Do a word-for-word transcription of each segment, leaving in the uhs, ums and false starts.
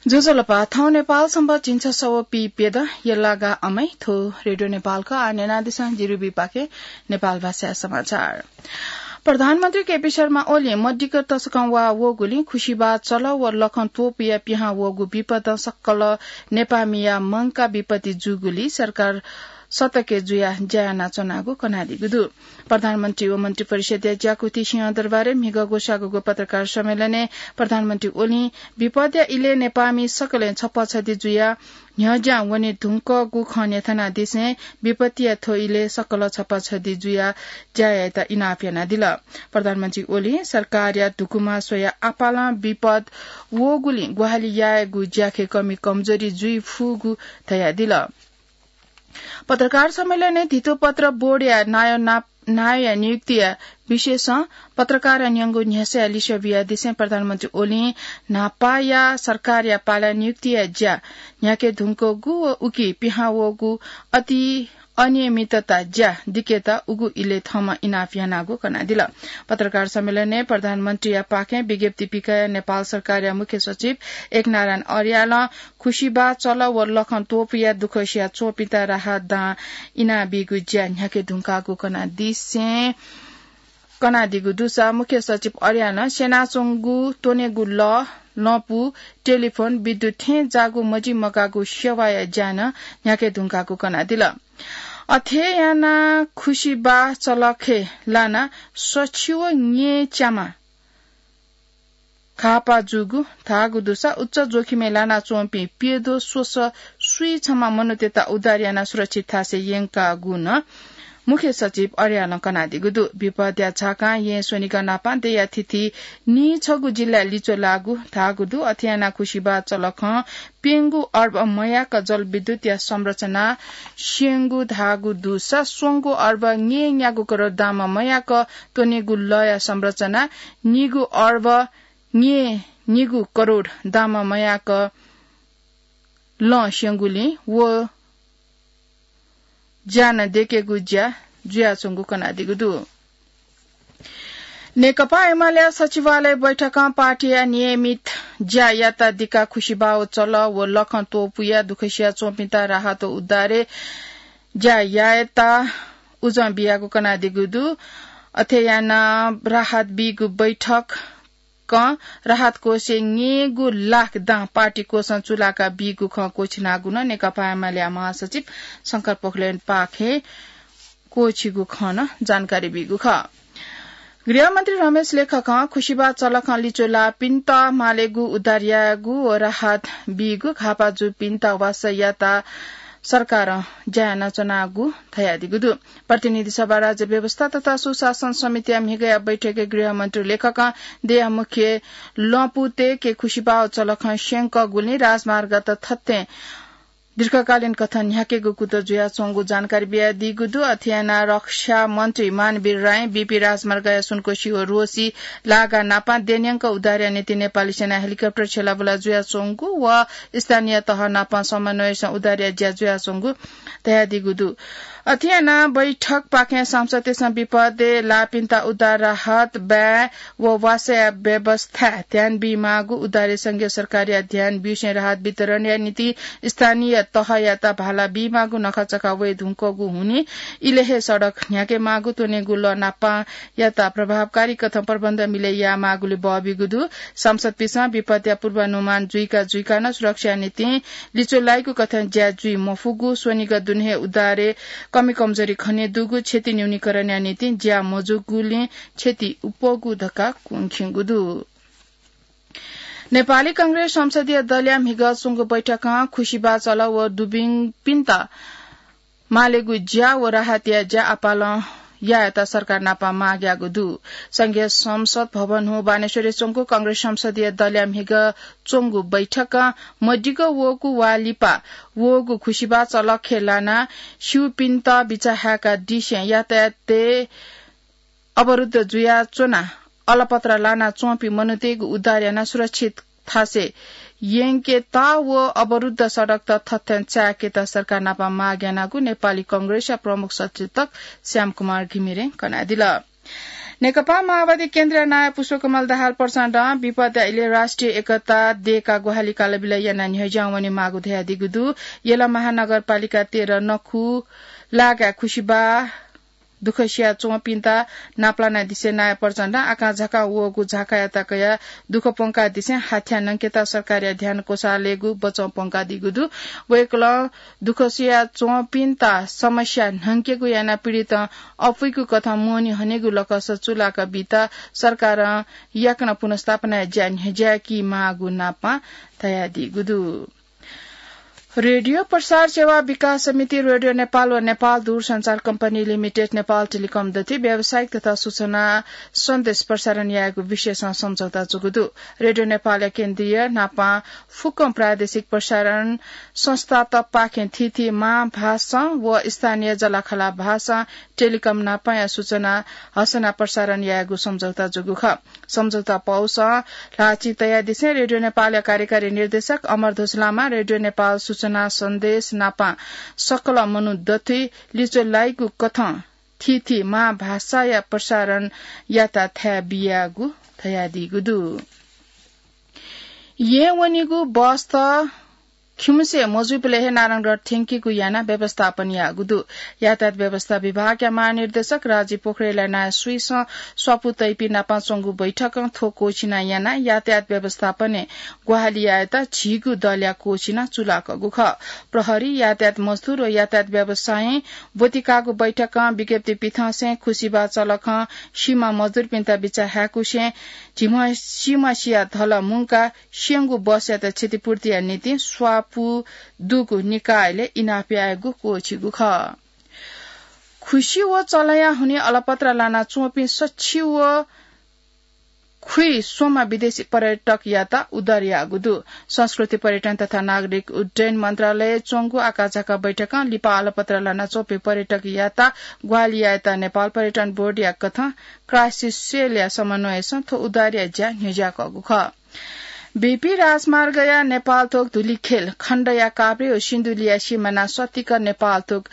ज्वजलपा, थौं नेपाल संवत् झिंछसः व पीप्यदँ यल्लागा अमै। थ्व रेडियो नेपालया आः न्यनादिसँ, जिरुबीपाखें नेपाल भाषाया समाचार। प्रधानमन्त्री केपी शर्मा ओलीं मदिक्क तसकं वाः वःगुलिं खुसिबाः चलः व लखं त्वपुया पिहां वःगु विपदं सकल नेपाःमिया मंकाः विपत्ति जूगुलिं सरकार सतर्क जुयाः ज्या यानाच्वनागु कनादीगु दु। प्रधानमन्त्री व मन्त्रिपरिषदया ज्याकुथि सिंहदरबारय् म्हिगः ग्वसाःगु पत्रकार सम्मेलनय् प्रधानमन्त्री ओलीं विपदया इलय् नेपाःमि सकलें छप्पँछदि जुयाः न्ह्यज्यां वने धुंकूगु खँ न्ह्यथनादिसें विपत्तिया थ्व इलय् सकल छप्पँछदि जुयाः ज्या यायेत इनाप यानादिल। प्रधानमन्त्री ओलीं सरकारया धुकुमा स्वयाः आपालं विपद वःगुलिं ग्वाहालि यायेगु ज्याखँय् कमी कमजोरी जुइ फुगु धयादिल। पत्रकार सम्मेलनय् धितोपत्र बोर्डया नायः नाप-, नायःया नियुक्तिया विषयसं पत्रकारं न्यंगु न्ह्यसःया लिसः बियादिसें प्रधानमन्त्री ओलीं न्हापाया सरकारया पालय् नियुक्तिया ज्या न्ह्याके धुंकूगु व उकी पिहां वःगु अति अनियमितता ज्या दिकेत उगु इलय् थःम्हं इनाप यानागु कनादिल। पत्रकार सम्मेलनय् प्रधानमन्त्रीया पाखें विज्ञप्ति पिकयाः नेपाल सरकारया मुख्य सचिव एकनारायण अर्यालं खुसिबाः चलः व लखं त्वपुया दुःख सियाच्वंपिन्त राहत दां इनाबीगु ज्या न्ह्याके धुंकाःगु कनादिसें, कनादीगु दुसा मुख्य सचिव अर्यालं स्यनाच्वंगु त्वनेगु लः, लँपु, टेलिफोन, विद्युत थें जाःगु मजिमगाःगु सेवाया ज्या नं न्ह्याके धुंकाःगु कनादिल। अथे यानाः खुसिबाः चलखय् लानाः सछि व न्येच्यामा घाःपाः जूगु धाःगु दुसा उच्च जोखिमय् लानाच्वंपिं प्यद्वः स्वसः स्वीछम्ह मनूतय्त उद्धार यानाः सुरक्षित थासय् यंकागु नं मुख्य सचिव अर्यालं कनादीगु दु। विपदया झाकां येँ स्वनिगः नापं दँया थीथी नीछगू जिल्लाय् लिच्वः लाःगु धाःगु दु। अथे यानाः खुसिबाः चलखं प्यंगू अर्ब मयाक जलविद्युतया संरचना स्यंगु धाःगु दुसा स्वंगू अर्ब न्येन्यागू करोड दामं मयाक त्वनेगु लःया संरचना, निगू अर्ब न्येनिगू करोड दामं मयाक लँ स्यंगुलिं व ज्या नं दयेकेगु ज्या जुयाच्वंगु कनादीगु दु। नेकपा एमालेया सचिवालय बैठकं पार्टीया नियमित ज्या यात दिकाः खुसिबाः चलः व लखं त्वपुया दुःख सियाच्वंपिन्त राहत व उद्धारय् ज्या यायेत उजं बियागु कनादीगु दु। अथे यानाः राहत बीगु बैठक कं राहत कोषय् न्येगू लाख दां पार्टी कोषं चूलाका बीगु खँ क्वःछिनागु नं नेकपा एमालेया महासचिव शंकर पोखरेलपाखें क्वःछिगु खँ नं जानकारी बीगु खः। गृहमन्त्री रमेश लेखकं खुसिबाः चलखं लिच्वः लाःपिन्त मालेगु उद्धार यायेगु व राहत बीगु, घाःपाः जूपिन्त वासः यायेत सरकारं ज्या यानाच्वनागु धयादीगु दु। प्रतिनिधि सभा, राज्य व्यवस्था तथा सुशासन समितिया म्हिगःया बैठकय् गृहमन्त्री लेखकं देय्या मुख्य लँपुतय्के खुसिबाः चलखं स्यंकःगुलिं राजमार्गयात थथें दीर्घकालीन कथं न्ह्याकेगु कुतः जुयाच्वंगु जानकारी बियादीगु दु। अथे यानाः रक्षा मन्त्री मानवीर रायं बीपी राजमार्गया सुनकोशी व रोसी लागा नापं देय् न्यंक उद्धारया निंतिं नेपाली सेनां हेलिकप्टर छ्यलाबुला जुयाच्वंगु व स्थानीय तह नापं समन्वयसं उद्धारया ज्या जुयाच्वंगु धयादीगु दु। अथे यानाः बैठकपाखें सांसदतय्सं विपदय् लाःपिन्त उद्धार राहत, बाँय् व वासःया व्यवस्थाय् ध्यान बीमाःगु, उद्धारय् संघीय सरकारया ध्यान ब्यूसें राहत वितरणया निंतिं स्थानीय तहयात भाला बीमाःगु, नखःचखः वये धुंकूगु हुनिं इलय् हे सडक न्ह्याकेमाःगु, त्वनेगु लः नापंयात प्रभावकारी कथं प्रबन्ध मिले यायेमाःगुलि बः बीगु दु। सांसदपिन्सं विपदया पूर्वानुमान जुइका जुइका नं सुरक्षाया निंतिं लिच्वः लाइगु कथं ज्या जुइ मफुगु, स्वनिगः दुने हे उद्धारय् कमी कमजोरी खनेदुगु, क्षति न्यूनीकरणया निंतिं ज्या मजूगुलिं क्षति अप्वःगु धकाः क्वंखिंगु दु। नेपाली कांग्रेस संसदीय दलया म्हिगः च्वंगु बैठकं खुसिबाः चलः व दुबिंपिन्त मालेगु ज्या व राहतया ज्या आपालं यायेत सरकार नाप माग याःगु दु। संघीय संसद भवन हुँ बानेश्वरय् च्वंगु कांग्रेस संसदीय दलया म्हिगः च्वंगु बैठकं मदिक्क वःगु वा लिपा वःगु खुसिबाः चलखय् लानाः स्यूपिन्त बिचाः हाय्कादिसें यातायातय् अवरुद्ध जुयाच्वनाः अलपत्र लानाच्वंपिं मनूतय्गु उद्धार यानाः सुरक्षित थासय् यंकेत व अवरुद्ध सडकत थथें चाय्केत सरकार नाप माग यानागु नेपाली कांग्रेसया प्रमुख सचेतक श्यामकुमार घिमिरें कनादिल। नेकपा माओवादी केन्द्रीय नायः पुष्पकमल दाहाल प्रचण्डं विपदा इलय् राष्ट्रिय एकता दयेकाः ग्वाहालि कालबिल यानाः न्ह्यज्यां वनेमाःगु धयादीगु दु। यल महानगरपालिका तेह्र नखु लागाय् खुसिबाः दुःख सिया च्वंपिन्त नापलानादिसें नायः प्रचण्डं आकाझाकां वःगु झाकायात कयाः दुःख प्वंकादिसें हाथ्याः न्हंकेत सरकारया ध्यान क्वसालय्‌गु बचं प्वंकादीगु दु। वय्‌कलं दुःख सिया च्वंपिन्त समस्या न्हंकेगु यानाः पीडितं अपुइगु कथं मोहनी हनेगु लकस चुलाक बीत सरकारं याकनं पुनर्स्थापनाया ज्या न्ह्यज्यायेकी माःगु नापं धयादीगु दु। रेडियो प्रसार सेवा विकास समिति, रेडियो नेपाल व नेपाल दूरसञ्चार कम्पनी लिमिटेड, नेपाल टेलिकम दथुइ व्यावसायिक तथा सूचना सन्देश प्रसारण यायेगु विषयसं सम्झौता जूगु दु। रेडियो नेपालया केन्द्रीय नापं फुक्कं प्रादेशिक प्रसारण संस्थातपाखें थीथी मां भाषां व स्थानीय जलाखला भाषां टेलिकम नापंया सूचना हसना प्रसारण यायेगु सम्झौता जूगु खः। सम्झौता पौसं ल्हाःचिं तयादिसें रेडियो नेपालया कार्यकारी निर्देशक अमरध्वज लामां रेडियो नेपाल सूचना सन्देश नापं सकल मनू दथुइ लिच्वलाइगु कथं थीथी मां भाषाया प्रसारण यात थाय् बियागु धयादीगु दु। येँ वनीगु बसत खिउँसे मजुइबलय् हे नारायणगढ थ्यंकीगु यानाः व्यवस्थापन याःगु दु। यातायात व्यवस्था विभागया महानिर्देशक राजीव पोखरेलया नायः सुइसं स्वापू तइपिं नाप च्वंगु बैठकं थ्व क्वःछिना यानाः यातायात व्यवस्थापनय् ग्वाहालि यायेत झीगु दलया क्वःछिना चुलाकःगु खः। प्रहरी, यातायात मजदुर व यातायात व्यवसायीं ब्वतिकाःगु बैठकं विज्ञप्ति पिथंसें खुसिबा चलखं सीमा मजदुरपिन्त बिचाः हाय्‌कुसें झिम्ह सीमा सिया धल मुंकाः स्यंगू बसयात क्षतिपूर्तिया निंतिं स्वापू दुगु निकायलय् इनाप यायेगु क्वःछिगु खः। खुसि व चलंया हुनिं अलपत्र लाना च्वंपिं सछि व खुइस्वम्ह विदेशी पर्यटकयात उद्धार याःगु दु। संस्कृति, पर्यटन तथा नागरिक उड्डयन मन्त्रालयय् च्वंगु आकाझाका बैठकं लिपा अलपत्र लाना च्वंपिं पर्यटकयात ग्वाहालि यायेत नेपाल पर्यटन बोर्डया कथं क्राइसिस सेलया समन्वयसं थ्व उद्धारया ज्या न्ह्यज्याकःगु खः। बीपी राजमार्गया नेपाल थोक धुलिखेल खण्डया काभ्रे व सिन्धुलीया सिमाना सतिक नेपाल थोक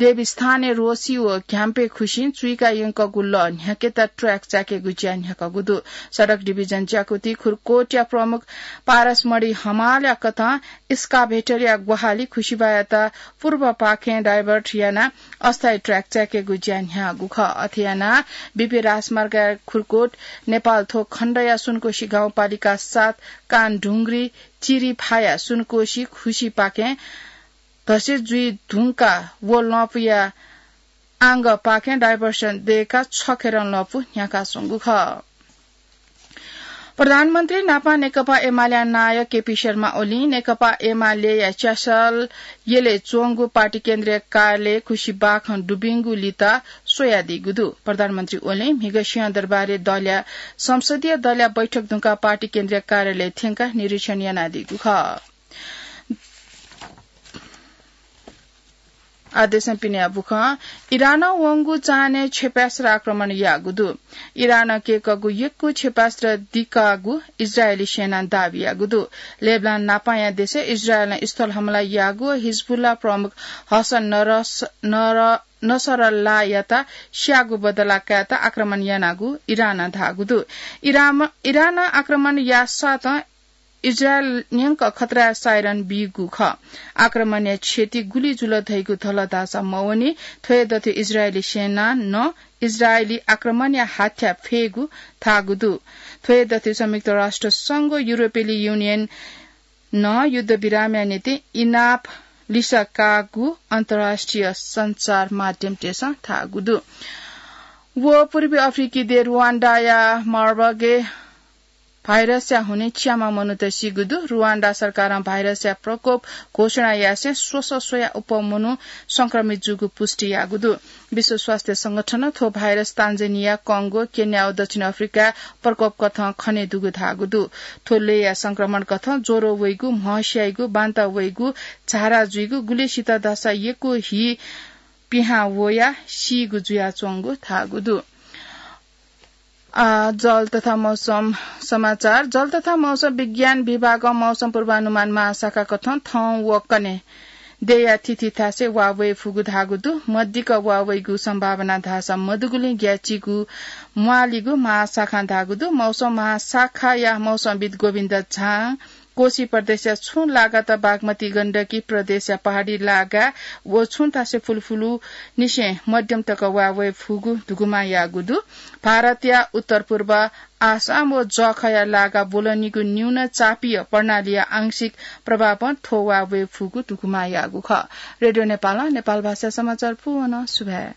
देवीस्थानय् रोसी व घ्याम्पे खुसिं चुइका यंकःगु लः न्ह्याकेत ट्र्याक च्याकेगु ज्या न्ह्याकःगु दु। सडक डिभिजन ज्याकुथि खुरकोटया प्रमुख पारसमणि हमालया कथं एक्सकाभेटरया ग्वाहालि खुसिबायात पूर्वपाखें डाइभर्ट यानाः अस्थायी ट्र्याक च्याकेगु ज्या न्ह्याःगु खः। अथे यानाः बीपी राजमार्गया खुरकोट नेपाल थोक खण्डया सुनकोशी गाउँपालिका सात कानढुङ्ग्री चिरिफाया सुनकोशी खुसिपाखें धसे जुइ धुंकाः व लँपुया आंगपाखें डाइभर्सन दयेकाः छखेरं लँपु न्ह्याकाच्वंगु खः। प्रधानमन्त्री नापं नेकपा एमालेया नायः केपी शर्मा ओलीं नेकपा एमालेया च्यासल यलय् च्वंगु पार्टी केन्द्रीय कार्यालय खुसिबाखं दुबिंगु लित स्वयादीगु दु। प्रधानमन्त्री ओलीं म्हिगः सिंहदरबारय् दलया संसदीय दलया बैठक धुंकाः पार्टी केन्द्रीय कार्यालय थ्यंकाः निरीक्षण यानादीगु खः। आदेशं पिने बुखं इरानं वंगु चान्हय् क्षेपणास्त्र आक्रमण याःगु दु। इरानं कय्कःगु यक्व क्षेपणास्त्र दिकाःगु इजरायली सेनां दाबी याःगु दु। लेबनान नापांया देशय् इजरायलं स्थल हमला याःगु व हिजबुल्ला प्रमुख हसन नरस-, नर-, नसरल्लायात स्याःगु बदला कायेत आक्रमण यानागु इरानं धाःगु दु। इराम-, इरानं आक्रमण याःसातं इजरायल न्यंक खतराया साइरन बीगु खः। आक्रमणया क्षति गुलि जुल धइगु धल धाःसा मवनी। थ्व हे दथुइ इजरायली सेनां नं इजरायली आक्रमणया हाथ्या फ्येगु धाःगु दु। थ्व हे दथुइ संयुक्त राष्ट्र संघ, युरोपेली युनियन नं युद्धविरामया निंतिं इनाप लिसः काःगु अन्तर्राष्ट्रिय सञ्चार माध्यमतय्सं धाःगु दु। व पूर्वी अफ्रिकी देश रुवान्डाया मार्बगे भाइरसया हुनिं च्याम्ह मनूत सीगु दु। रुवान्डा सरकारं भाइरसया प्रकोप घोषणा यासें स्वसः स्वयाः अप्वः मनू संक्रमित जूगु पुष्टि याःगु दु। विश्व स्वास्थ्य संगठनं थ्व भाइरस तान्जानिया, कंगो, केन्या व दक्षिण अफ्रिकाय् प्रकोप कथं खने दुगु धाःगु दु। थ्व लय्या संक्रमण कथं ज्वरो वइगु, म्हं स्याइगु, बान्ता वइगु, झारा जुइगु, गुलिसित धाःसा यक्व हि पिहां वयाः सीगु जुयाच्वंगु धाःगु दु। आ, जल तथा मौसम समाचार। जल तथा मौसम विज्ञान विभागं मौसम पूर्वानुमान महाशाखा कथं थौं व कन्हय् देया थिथि थासय् वा वये फुगु धाःगु दु। मदिक्क वा वइगु सम्भावना धाःसा मदुगुलिं ग्याःचिकु म्वाःलिगु महाशाखां धाःगु दु। मौसम महाशाखाया मौसमविद् गोविन्द झां कोशी प्रदेशया छुं लागात बागमती गण्डकी प्रदेशया पहाडी लागा व छुं थासय् फुलफुलु निसें मध्यम तक वा वये फुगु धुकुमा याःगु दु। भारतया उत्तर पूर्व आसाम व जःखःया लागा ब्वलनीगु न्यून चापीय प्रणालीया आंशिक प्रभावं थ्व वा वये फुगु धुकुमा याःगु खः। रेडियो नेपालं नेपाल भाषा समाचार पूवन सुभाय्।